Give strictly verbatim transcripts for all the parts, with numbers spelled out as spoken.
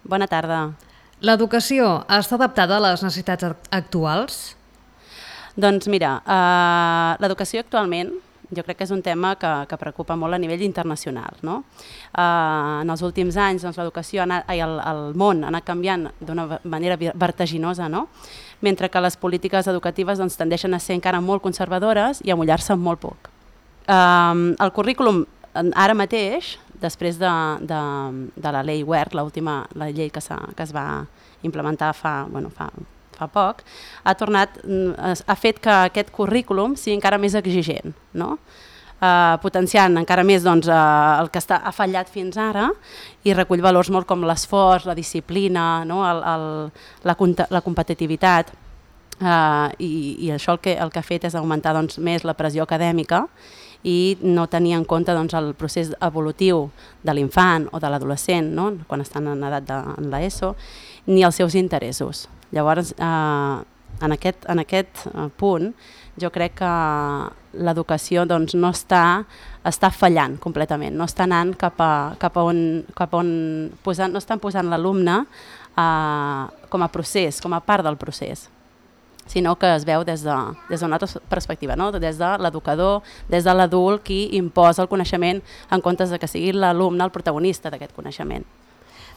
Bona tarda. L'educació està adaptada a les necessitats actuals? Doncs mira, uh, l'educació actualment jo crec que és un tema que, que preocupa molt a nivell internacional. No? Uh, en els últims anys doncs, l'educació, ha anat, ai, el, el món ha anat canviant d'una manera vertiginosa, no? Mentre que les polítiques educatives doncs, tendeixen a ser encara molt conservadores i a mullar-se molt poc. Uh, el currículum ara mateix, després de, de, de la llei WERC, l'última la llei que, que es va implementar fa, bueno, fa, fa poc, ha tornat, ha fet que aquest currículum sigui encara més exigent, no? Uh, potenciant encara més doncs, uh, el que està, ha fallat fins ara i recull valors molt com l'esforç, la disciplina, no? el, el, la, la competitivitat. Uh, i, i això el que, el que ha fet és augmentar doncs, més la pressió acadèmica i no tenir en compte doncs, el procés evolutiu de l'infant o de l'adolescent, no? Quan estan en edat de en l'ESO, ni els seus interessos. Llavors, eh, en aquest, en aquest punt, jo crec que l'educació doncs, no està, està fallant completament, no està anant cap a, cap a on, cap a on posant, no estan posant l'alumne eh, com a procés, com a part del procés, sinó que es veu des d'una de, des altra perspectiva, no? Des de l'educador, des de l'adult qui imposa el coneixement en comptes de que sigui l'alumne el protagonista d'aquest coneixement.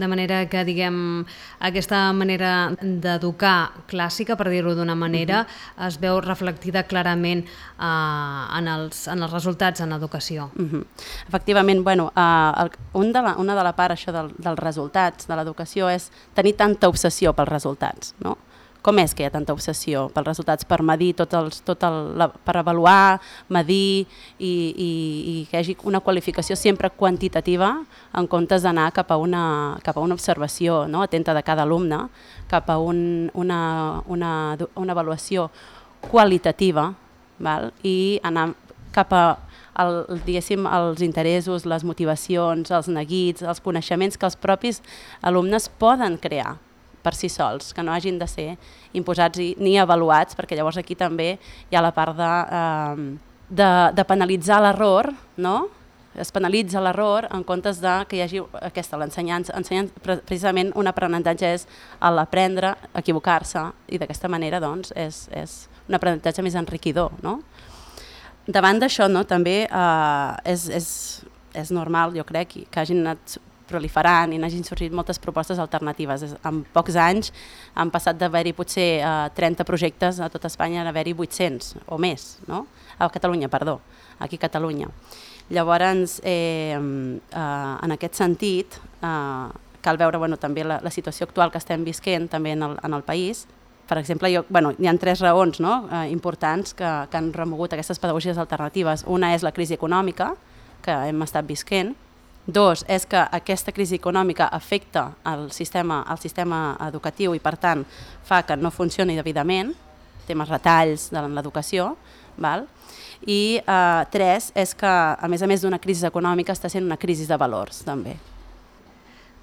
De manera que, diguem, aquesta manera d'educar clàssica, per dir-ho d'una manera, uh-huh. es veu reflectida clarament uh, en, els, en els resultats en l'educació. Uh-huh. Efectivament, bueno, uh, el, un de la, una de la part això del, dels resultats de l'educació és tenir tanta obsessió pels resultats, no? Com és que hi ha tanta obsessió pels resultats, per medir tot els, tot el, la, per avaluar, medir i, i, i que hi hagi una qualificació sempre quantitativa en comptes d'anar cap a una, cap a una observació, no? Atenta de cada alumne, cap a un, una, una, una avaluació qualitativa, val? I anar cap a el, diguéssim, els interessos, les motivacions, els neguits, els coneixements que els propis alumnes poden crear per si sols, que no hagin de ser imposats i, ni avaluats, perquè llavors aquí també hi ha la part de, eh, de, de penalitzar l'error, no? Es penalitza l'error en comptes de que hi hagi aquesta, l'ensenyança, precisament un aprenentatge és l'aprendre, equivocar-se, i d'aquesta manera doncs, és, és un aprenentatge més enriquidor. No? Davant d'això no, també eh, és, és, és normal, jo crec, que hagin anat proliferant i n'hagin sorgit moltes propostes alternatives. En pocs anys han passat d'haver-hi potser eh, trenta projectes a tot Espanya a haver-hi vuit-cents o més, no? A Catalunya, perdó, aquí a Catalunya. Llavors, eh, eh, en aquest sentit, eh, cal veure bueno, també la, la situació actual que estem visquent també en el, en el país. Per exemple, jo, bueno, hi ha tres raons no? eh, importants que, que han remogut aquestes pedagogies alternatives. Una és la crisi econòmica que hem estat visquent. Dos, és que aquesta crisi econòmica afecta el sistema, el sistema educatiu i per tant fa que no funcioni degudament, temes retalls de l'educació, val? I eh, tres, és que a més a més d'una crisi econòmica està sent una crisi de valors també.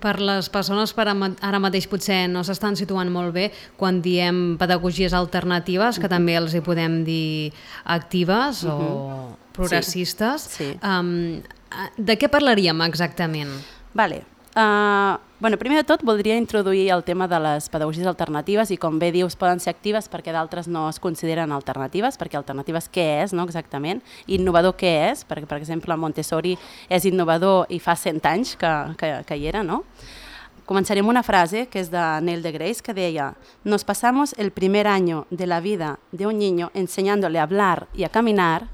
Per les persones per ara mateix potser no s'estan situant molt bé quan diem pedagogies alternatives, que uh-huh. també els hi podem dir actives uh-huh. o progressistes. Sí. Sí. Um, de què parlaríem exactament? Vale. Uh, bueno, primer de tot voldria introduir el tema de les pedagogies alternatives i com bé dius poden ser actives perquè d'altres no es consideren alternatives, perquè alternatives què és no, exactament, innovador què és, perquè per exemple Montessori és innovador i fa cent anys que, que, que hi era, no? Començarem una frase que és de Neil deGrasse que deia: «Nos pasamos el primer año de la vida de un niño enseñándole a hablar y a caminar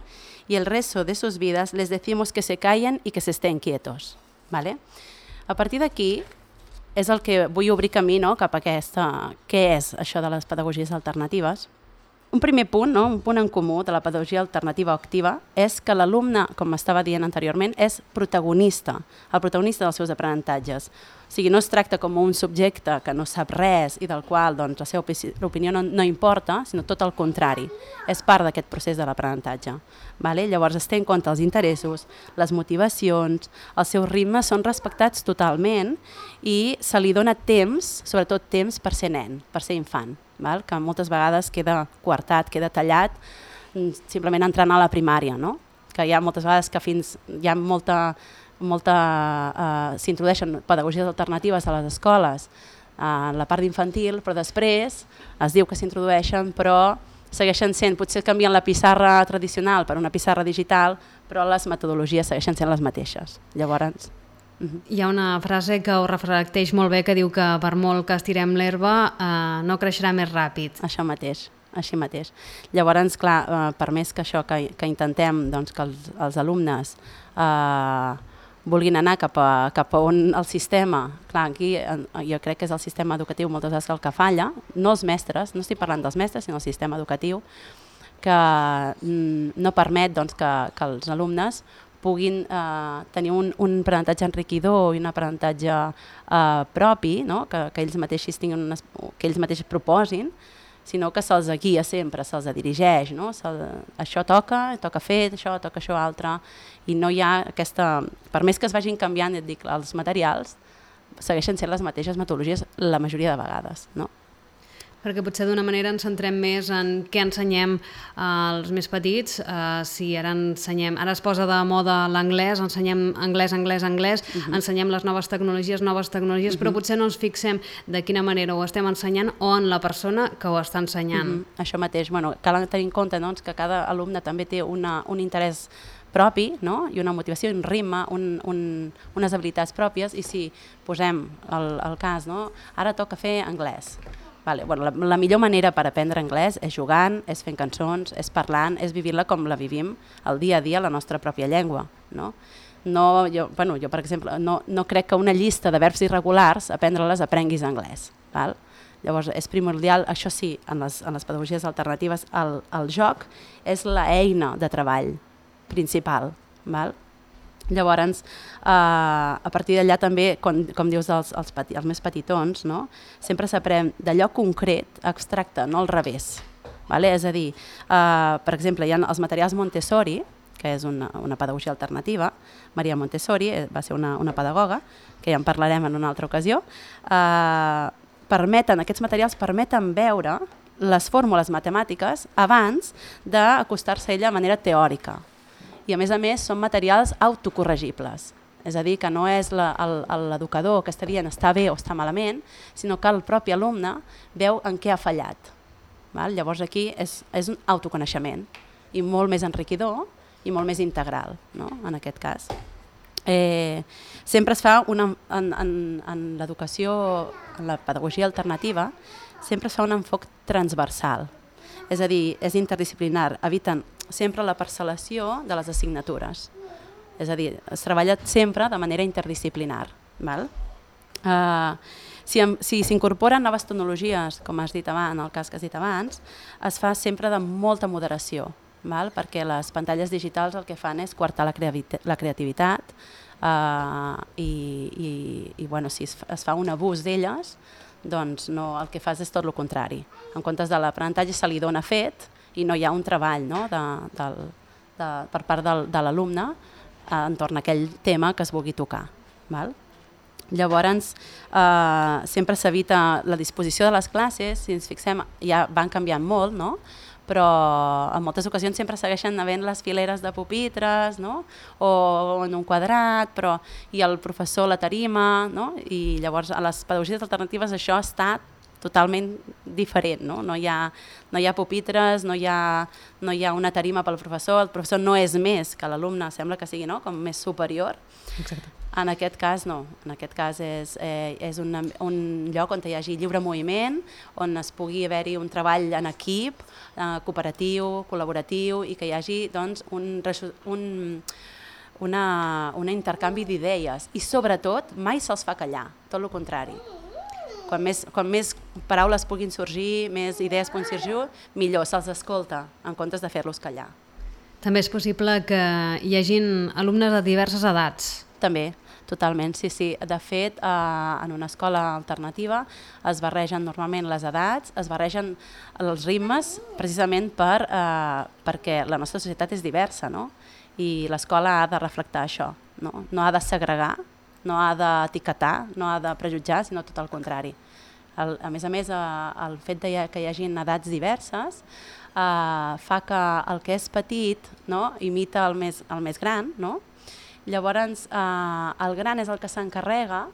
y el resto de sus vidas les decimos que se callen y que se estén quietos». ¿Vale? A partir d'aquí és el que vull obrir camí no, cap a aquesta, què és això de les pedagogies alternatives. Un primer punt, no, un punt en comú de la pedagogia alternativa o activa és que l'alumne, com estava dient anteriorment, és protagonista, el protagonista dels seus aprenentatges. O sigui, no es tracta com un subjecte que no sap res i del qual doncs, la seva opinió no, no importa, sinó tot el contrari. És part d'aquest procés de l'aprenentatge. Vale? Llavors es té en compte els interessos, les motivacions, els seus ritmes són respectats totalment i se li dona temps, sobretot temps per ser nen, per ser infant, val? Que moltes vegades queda coartat, queda tallat, simplement entrant a la primària, no? Que hi ha moltes vegades que fins hi ha molta molta, eh, s'introdueixen pedagogies alternatives a les escoles en la part d'infantil, però després es diu que s'introdueixen, però segueixen sent, potser canvien la pissarra tradicional per una pissarra digital, però les metodologies segueixen sent les mateixes. Llavors... Uh-huh. Hi ha una frase que ho reflecteix molt bé que diu que per molt que estirem l'herba eh, no creixerà més ràpid. Això mateix, així mateix. Llavors, clar, eh, per més que això que, que intentem doncs, que els, els alumnes eh, vulguin anar cap a, cap a on el sistema, clar, aquí jo crec que és el sistema educatiu moltes vegades el que falla, no els mestres, no estic parlant dels mestres, sinó el sistema educatiu, que no permet doncs, que, que els alumnes puguin eh, tenir un, un aprenentatge enriquidor i un aprenentatge eh, propi, no? que, que ells mateixos tinguin unes, que ells mateixos proposin, sinó que se'ls guia sempre, se'ls dirigeix, no? Se, això toca, toca fer això, toca això altre, i no hi ha aquesta... Per més que es vagin canviant, et dic, els materials, segueixen sent les mateixes metodologies la majoria de vegades, no? Perquè potser d'una manera ens centrem més en què ensenyem als més petits. Uh, si ara ensenyem, ara es posa de moda l'anglès, ensenyem anglès, anglès, anglès, uh-huh. ensenyem les noves tecnologies, noves tecnologies, uh-huh. però potser no ens fixem de quina manera ho estem ensenyant o en la persona que ho està ensenyant. Uh-huh. Això mateix, bueno, cal tenir en compte doncs, que cada alumne també té una, un interès propi, no? I una motivació, un ritme, un, un, unes habilitats pròpies, i si posem el, el cas, no? Ara toca fer anglès. Vale, bueno, la, la millor manera per aprendre anglès és jugant, és fent cançons, és parlant, és vivir-la com la vivim el dia a dia, la nostra pròpia llengua. No? No, jo, bueno, jo, per exemple, no, no crec que una llista de verbs irregulars, aprendre-les, aprenguis anglès. Val? Llavors, és primordial, això sí, en les, en les pedagogies alternatives, el, el joc és l'eina de treball principal. Val? Llavors, eh, a partir d'allà també, com, com dius els, els, peti, els més petitons, no? Sempre s'aprèn d'allò concret, abstracte, no al revés. Vale? És a dir, eh, per exemple, hi ha els materials Montessori, que és una, una pedagogia alternativa. Maria Montessori va ser una, una pedagoga, que ja en parlarem en una altra ocasió. Eh, permeten, aquests materials permeten veure les fórmules matemàtiques abans d'acostar-se a ella de manera teòrica. I a més a més són materials autocorregibles, és a dir, que no és l'educador que està dient està bé o està malament, sinó que el propi alumne veu en què ha fallat. Val? Llavors aquí és, és un autoconeixement i molt més enriquidor i molt més integral, no? En aquest cas. Eh, sempre es fa una, en, en, en l'educació, en la pedagogia alternativa, sempre es fa un enfoc transversal, és a dir, és interdisciplinar, eviten sempre la parcel·lació de les assignatures. És a dir, es treballa sempre de manera interdisciplinar. Val? Uh, si si s'incorporen noves tecnologies, com has dit abans, en el cas que has dit abans, es fa sempre de molta moderació, val? Perquè les pantalles digitals el que fan és coartar la, creavi- la creativitat uh, i, i, i bueno, si es, es fa un abús d'elles, doncs no, el que fas és tot el contrari. En comptes de l'aprenentatge se li dona fet i no hi ha un treball, no? de, de, de, per part del, de l'alumne eh, entorn a aquell tema que es vulgui tocar. Val? Llavors, eh, sempre s'evita la disposició de les classes, si ens fixem, ja van canviant molt, no? Però en moltes ocasions sempre segueixen havent les fileres de pupitres, no? O en un quadrat, però i el professor la tarima, no? I llavors a les pedagogies alternatives això està totalment diferent, no? No hi ha, no hi ha pupitres, no hi ha, no hi ha una tarima pel professor, el professor no és més que l'alumne, sembla que sigui, no? Com més superior. Exacte. En aquest cas no, en aquest cas és, eh, és una, un lloc on hi hagi lliure moviment, on es pugui haver-hi un treball en equip, eh, cooperatiu, col·laboratiu, i que hi hagi doncs, un, un, una, un intercanvi d'idees i sobretot mai se'ls fa callar, tot el contrari. Quan més, quan més paraules puguin sorgir, més idees puguin sorgir, millor se'ls escolta en comptes de fer-los callar. També és possible que hi hagin alumnes de diverses edats. També, totalment, sí, sí. De fet, eh, en una escola alternativa es barregen normalment les edats, es barregen els ritmes, precisament per, eh, perquè la nostra societat és diversa, no? I l'escola ha de reflectar això, no? No ha de segregar, no ha d'etiquetar, no ha de prejutjar, sinó tot el contrari. El, a més a més, eh, el fet de que hi hagi edats diverses eh, fa que el que és petit, no, imita el més, el més gran, no? Llavors, eh, el gran és el que s'encarrega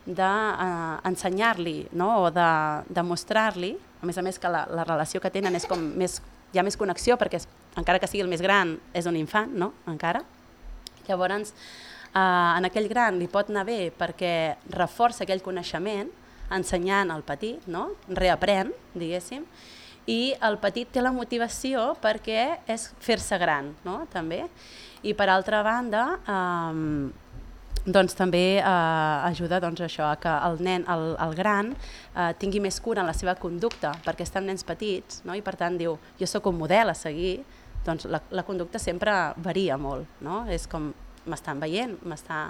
d'ensenyar-li, eh, no? O de, de mostrar-li, a més a més que la, la relació que tenen és com més, hi ha més connexió, perquè és, encara que sigui el més gran, és un infant, no? Encara. Llavors, eh, en aquell gran li pot anar bé perquè reforça aquell coneixement, ensenyant al petit, no? Reaprèn, diguéssim, i el petit té la motivació perquè és fer-se gran, no? També. I per altra banda, eh, doncs també eh, ajuda doncs, això, a que el nen, el, el gran, eh, tingui més cura en la seva conducta, perquè estan nens petits, no? I per tant diu, jo sóc un model a seguir, doncs la, la conducta sempre varia molt, no? És com, m'estan veient, m'està...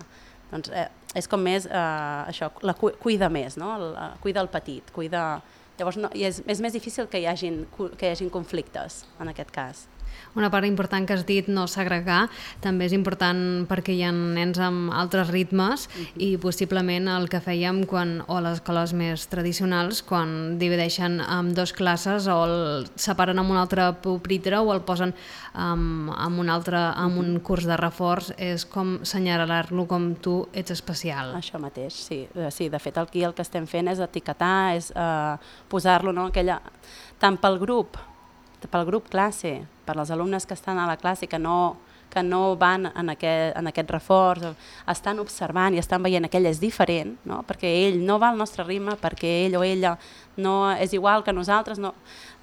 Doncs, eh, és com més, eh, això, la cu cuida més, no? El, eh, cuida el petit, cuida... Llavors no, i és, és més difícil que hi hagin, que hi hagin conflictes, en aquest cas. Una part important que has dit, no segregar, també és important perquè hi ha nens amb altres ritmes uh-huh. i possiblement el que fèiem quan, o a les escoles més tradicionals, quan divideixen en dos classes o el separen amb un altre pupitre o el posen um, en, un altre, en un curs de reforç, és com senyalar-lo com tu ets especial. Això mateix, sí. sí. De fet, aquí el que estem fent és etiquetar, és uh, posar-lo, no? Aquella, tant pel grup, pel grup classe, per les alumnes que estan a la classe que no, que no van en aquest, en aquest reforç, estan observant i estan veient que ell és diferent, no? Perquè ell no va al nostre ritme, perquè ell o ella no és igual que nosaltres. No.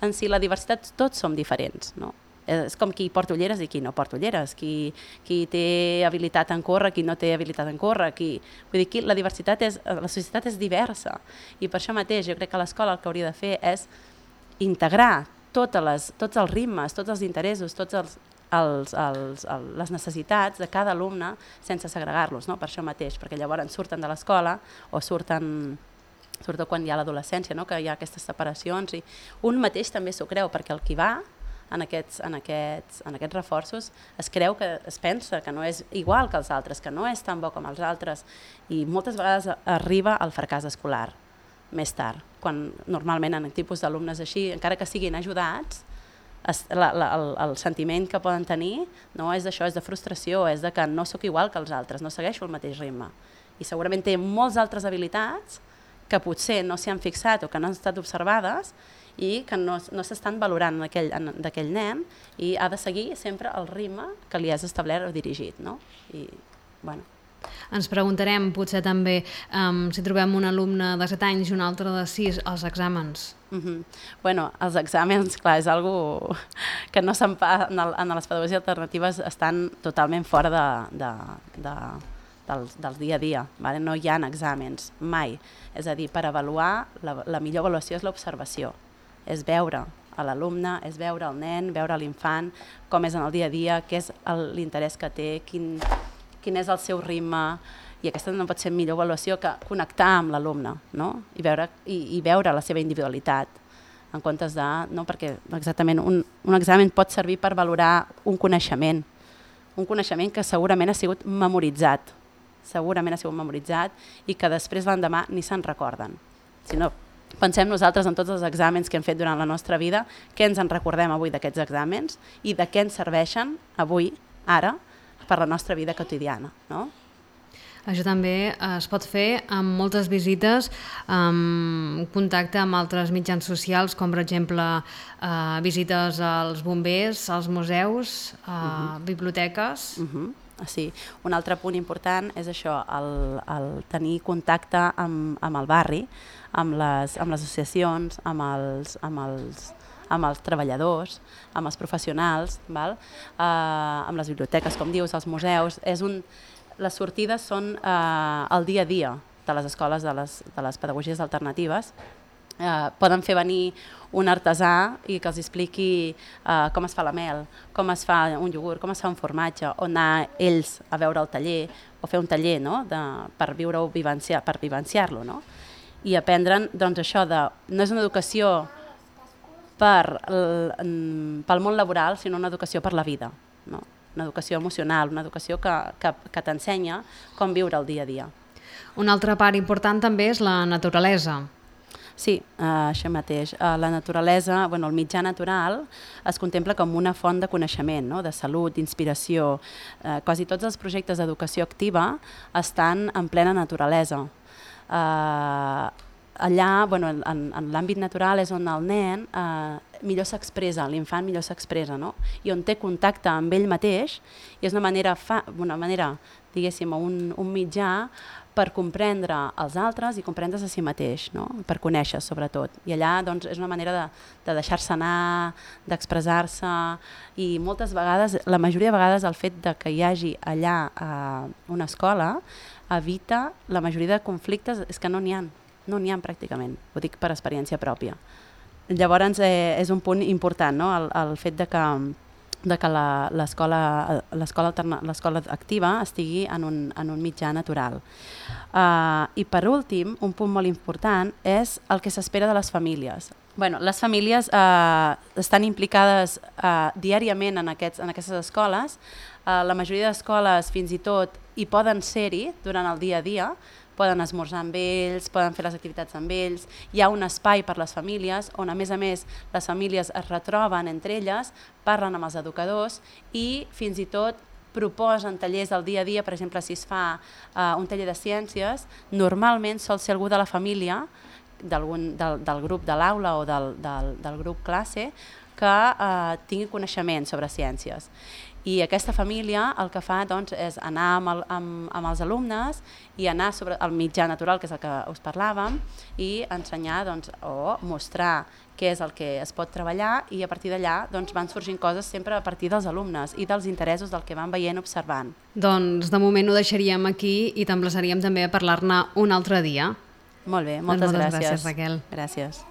En si la diversitat tots som diferents. No? És com qui porta ulleres i qui no porta ulleres, qui, qui té habilitat en córrer, qui no té habilitat en córrer. Qui... Vull dir que la diversitat és, la societat és diversa i per això mateix jo crec que l'escola el que hauria de fer és integrar totes les, tots els ritmes, tots els interessos, tots els, els, els, els, les necessitats de cada alumne sense segregar-los, no? Per això mateix, perquè llavors surten de l'escola o surten, sobretot quan hi ha l'adolescència, no? Que hi ha aquestes separacions i un mateix també s'ho creu, perquè el qui va en aquests, en, aquests, en aquests reforços es creu que es pensa que no és igual que els altres, que no és tan bo com els altres i moltes vegades arriba al fracàs escolar més tard, quan normalment en tipus d'alumnes així, encara que siguin ajudats, es, la, la, el, el sentiment que poden tenir no és d'això, és de frustració, és de que no sóc igual que els altres, no segueixo el mateix ritme. I segurament té moltes altres habilitats que potser no s'hi han fixat o que no han estat observades i que no, no s'estan valorant d'aquell nen i ha de seguir sempre el ritme que li has establert o dirigit. No? I, bueno... Ens preguntarem potser també um, si trobem un alumne de set anys i un altre de sis als exàmens. Uh-huh. Bueno, els exàmens, clar, és algo que no se'n fa, en, el, en les pedagogies alternatives estan totalment fora de, de, de, del, del dia a dia, vale? No hi ha exàmens, mai. És a dir, per avaluar, la, la millor avaluació és l'observació, és veure a l'alumne, és veure el nen, veure l'infant, com és en el dia a dia, què és l'interès que té, quin... quin és el seu ritme, i aquesta no pot ser millor avaluació que connectar amb l'alumne, no? I, veure, i, i veure la seva individualitat, en comptes de... No? Perquè exactament un, un examen pot servir per valorar un coneixement, un coneixement que segurament ha sigut memoritzat, segurament ha sigut memoritzat i que després l'endemà ni se'n recorden. Si no, pensem nosaltres en tots els exàmens que hem fet durant la nostra vida, què ens en recordem avui d'aquests exàmens i de què ens serveixen avui, ara, per la nostra vida quotidiana, no? Això també es pot fer amb moltes visites, amb contacte amb altres mitjans socials, com per exemple eh, visites als bombers, als museus, a uh-huh. biblioteques... Uh-huh. Sí. Un altre punt important és això, el, el tenir contacte amb, amb el barri, amb les, amb les associacions, amb els... Amb els amb els treballadors, amb els professionals, val? Uh, amb les biblioteques, com dius, els museus. És un... Les sortides són uh, el dia a dia de les escoles de les, de les pedagogies alternatives. Uh, poden fer venir un artesà i que els expliqui uh, com es fa la mel, com es fa un iogurt, com es fa un formatge, o anar ells a veure el taller, o fer un taller, no? De, per viure-ho, vivenciar, per vivenciar-lo, no? I aprendre'n, doncs, això de... No és una educació per, pel món laboral, sinó una educació per la vida, no? Una educació emocional, una educació que, que, que t'ensenya com viure el dia a dia. Una altra part important també és la naturalesa. Sí, uh, això mateix. Uh, la naturalesa, bueno, el mitjà natural es contempla com una font de coneixement, no? De salut, d'inspiració. Uh, quasi tots els projectes d'educació activa estan en plena naturalesa. Uh, allà, bueno, en, en l'àmbit natural és on el nen uh, millor s'expressa, l'infant millor s'expressa, no? I on té contacte amb ell mateix, i és una manera, fa, una manera diguéssim, un, un mitjà per comprendre els altres i comprendre's a si mateix, no? Per conèixer sobretot. I allà doncs, és una manera de, de deixar-se anar, d'expressar-se, i moltes vegades, la majoria de vegades el fet de que hi hagi allà eh, una escola evita la majoria de conflictes, és que no n'hi ha, no n'hi ha pràcticament, ho dic per experiència pròpia. Llavors eh, és un punt important, no? el, el fet de que de que l'escola activa estigui en un, en un mitjà natural. Uh, I per últim, un punt molt important és el que s'espera de les famílies. Bueno, les famílies uh, estan implicades uh, diàriament en, aquests, en aquestes escoles. Uh, la majoria d'escoles fins i tot hi poden ser-hi durant el dia a dia, poden esmorzar amb ells, poden fer les activitats amb ells, hi ha un espai per les famílies on a més a més les famílies es retroben entre elles, parlen amb els educadors i fins i tot proposen tallers del dia a dia, per exemple si es fa uh, un taller de ciències, normalment sol ser algú de la família, del, del grup de l'aula o del, del, del grup classe, que uh, tingui coneixement sobre ciències. I aquesta família el que fa doncs, és anar amb, el, amb, amb els alumnes i anar sobre el mitjà natural, que és el que us parlàvem, i ensenyar doncs, o mostrar què és el que es pot treballar, i a partir d'allà doncs, van sorgint coses sempre a partir dels alumnes i dels interessos del que van veient observant. Doncs de moment ho deixaríem aquí i t'emplaçaríem també a parlar-ne un altre dia. Molt bé, moltes, doncs moltes gràcies. gràcies, Raquel. Gràcies.